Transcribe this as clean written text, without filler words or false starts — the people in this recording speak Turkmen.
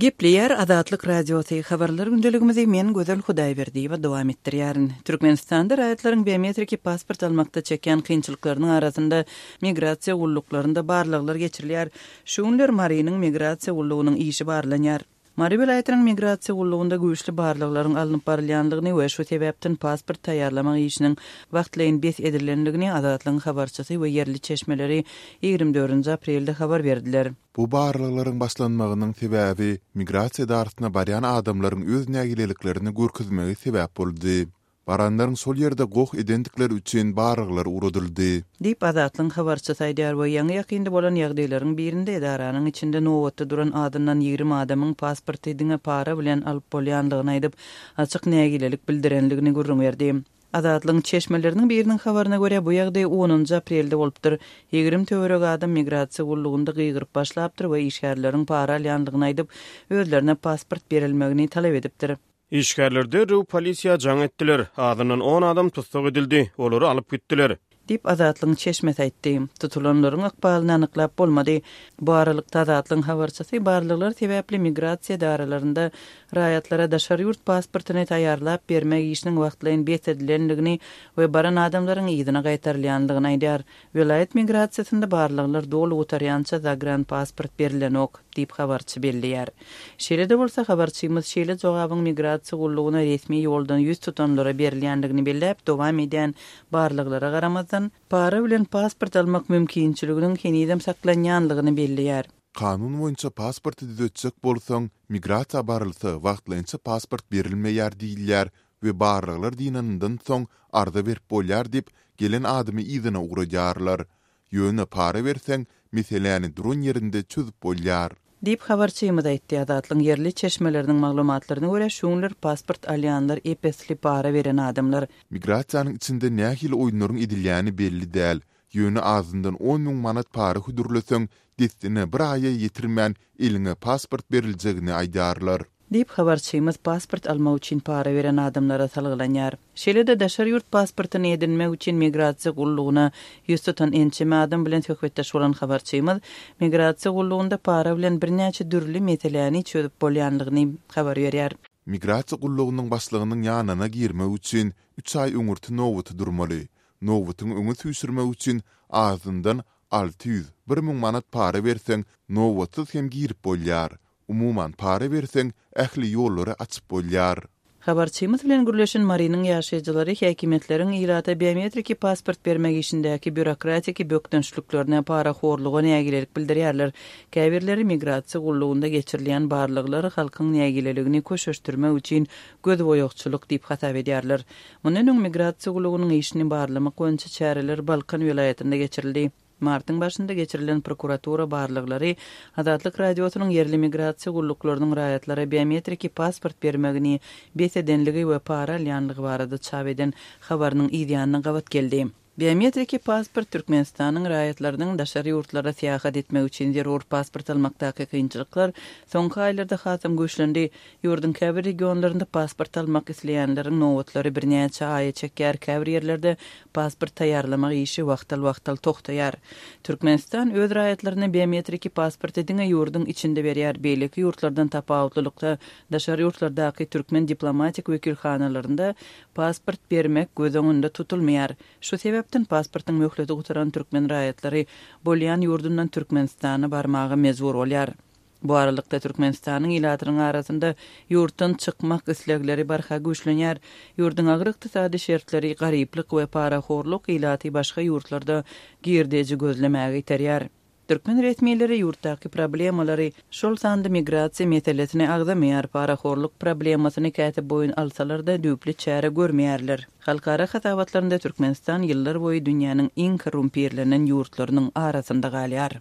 Gepleýär Azatlyk Radiosy, Habarlar gündeligimizi men Gözel Hudaýberdiýewa dowam etdirýärin. Türkmenistanda raýatlaryň biometriki pasport almakda çekýän kynçylyklarynyň arasynda migrasiýa gulluklarynda barlaglar geçirilýär. Şu günler Marynyň migrasiýa gullugynyň işi barlanýar. Mary welaýatynyň migrasiýa gullugynda güýçli barlaglaryň alnyp barylýandygyny we şu sebäpden pasport taýýarlamak işiniň wagtlaýyn bes edilendigini Azatlygyň habarçysy we ýerli çeşmeleri 24 aprelde habar berdiler. Bu barlaglaryň başlanmagynyň sebäbi migrasiýa edarasyna barýan adamlaryň öz nägileliklerini görkezmegi sebäp boldy. Baranlaryň şol ýerde goh edendikleri üçin barlaglar ugradyldy. Diýip, Azatlygyň habarçysy aýdýar we ýaňy-ýakynda bolan ýagdaýlaryň birinde edaranyň içinde nobatda duran azyndan 20 adamyň pasporty diňe para bilen alyp bolýandygyny aýdyp, açyk nägilelik bildirendigini gürrüň berdi. Azatlygyň çeşmeleriniň biriniň habaryna görä, bu ýagdaý onunjy aprelde bolupdyr. 20 töweregi adam migrasiýa gullugynda gygyryp başlapdyr we işgärleriň para alýandygyny aýdyp, özlerine pasport berilmegini talap edipdir. Işgärler derrew polisiýa jaň etdiler. Azyndan on adam tussag edildi, olary alyp gitdiler. Diýip, Azatlygyň çeşmesi aýtdy. Tutulanlaryň ykbalyny anyklap bolmady. Bu aralykda, Azatlygyň habarçysy barlaglar sebäpli migrasiýa edaralarynda raýatlara daşary ýurt pasportyny taýýarlap bermek işiniň wagtlaýyn bes edilendigini we baran adamlaryň yzyna gaýtarylýandygyny aýdýar. Welaýat migrasiýasynda barlaglar doly gutarýança zagranpasport berilenok, diýip, habarçy belleýär. Şeýle-de bolsa, habarçymyz şeýle jogabyň migrasiýa gullugyna resmi ýoldan ýüz tutanlara berilýändigini belläp, dowam edýän barlaglara garamazdan, para bilen pasport almak mümkinçiliginiň henizem saklanýanlygyny belleýär. Kanun boýunça pasporty düzetjek bolsaň, migrasiýa barylsa, wagtlaýynça pasport berilmeýär diýilýär we barlaglar dynanyndan soň arza berip bolýar diýip, gelen adamy yzyna ugradýarlar. Ýöne para berseň, meseläni duran ýerinde çözüp bolýar. Diýip, habarçymyz aýtdy. Azatlygyň ýerli çeşmeleriniň maglumatlaryna görä, şu günler pasport alýanlar ep-esli para beren adamlar. Migrasiýanyň içinde nähili oýunlaryň edilýäni belli däl, ýöne azyndan 10,000 manat para hödürleseň, dessine bir aýa ýetirmän eliňe pasport beriljegini aýdýarlar. Diýip, habarçymyz pasport almak üçin para beren adamlara salgylanýar. Şeýle-de daşary ýurt pasportyny edinmek üçin migrasiýa gullugyna ýüz tutan ençeme adam bilen söhbetdeş bolan habarçymyz migrasiýa gullugynda para bilen birnäçe dürli meseläni çözüp bolýanlygyny habar berýär. Migrasiýa gullugynyň başlygynyň ýanyna girmek üçin üç aý öňürti nobata durmaly. Nobatyňy öňe süýşürmek üçin azyndan 600, 1000 manat para berseň, nobatsyz hem girip bolýar. Umuman, para berseň, ähli ýollary açyp bolýar. Habarçymyz bilen gürleşen Marynyň ýaşaýjylary häkimiýetleriň ilata biometriki pasport bermek işindäki býurokratiki bökdençliklerine, parahorluga nägilelik bildirýärler. Käbirleri migrasiýa gullugynda geçirilýän barlaglar halkyň nägileligini köşeşdirmek üçin gözboýagçylyk diýip hasap edýärler. Mundan öň migrasiýa gullugynyň işini barlamak boýunça çäreler Balkan welaýatynda geçirildi. Martyň başynda geçirilen prokuratura barlaglary Azatlyk Radiosynyň ýerli migrasiýa gulluklarynyň raýatlara biometriki pasport bermegini bes edenligi we para alýanlygy barada çap eden habarynyň yzýanyna gabat geldi. Biometriki pasport Türkmenistanyň raýatlarynyň daşary ýurtlara syýahat etmek üçin zerur pasport almakdaky kynçylyklar soňky aýlarda hasam güýçlendi. Ýurduň käbir regionlarynda pasport almak isleýänleriň nobatlary birnäçe aýa çekýär, käbir ýerlerde pasport taýýarlamak işi wagtal-wagtal togtaýar. Türkmenistan öz raýatlaryna biometriki pasporty diňe ýurduň içinde berýär, beýleki ýurtlardan tapawutlylykda daşary ýurtlardaky türkmen diplomatik wekilhanalarynda pasport bermek göz öňünde tutulmaýar. Şu sebäpden pasportyň möhleti gutaran türkmen raýatlary bolýan ýurdundan Türkmenistana barmaga mejbur bolýar. Bu aralykda, Türkmenistanyň ilatynyň arasynda ýurtdan çykmak islegleri barha güýçlenýär. Ýurduň agyr ykdysady şertleri, garyplyk we parahorluk ilaty başga ýurtlarda girdeji gözlemäge iterýär. Türkmen resmileri ýurtdaky problemalary, şol sanda migrasiýa meselesini agzamaýar, parahorluk problemasyny käte boýun alsalar-da, düýpli çäre görmeýärler. Halkara hasabatlarynda Türkmenistan ýyllar boýy dünýäniň iň korrumpirlenen ýurtlarynyň arasynda galýar.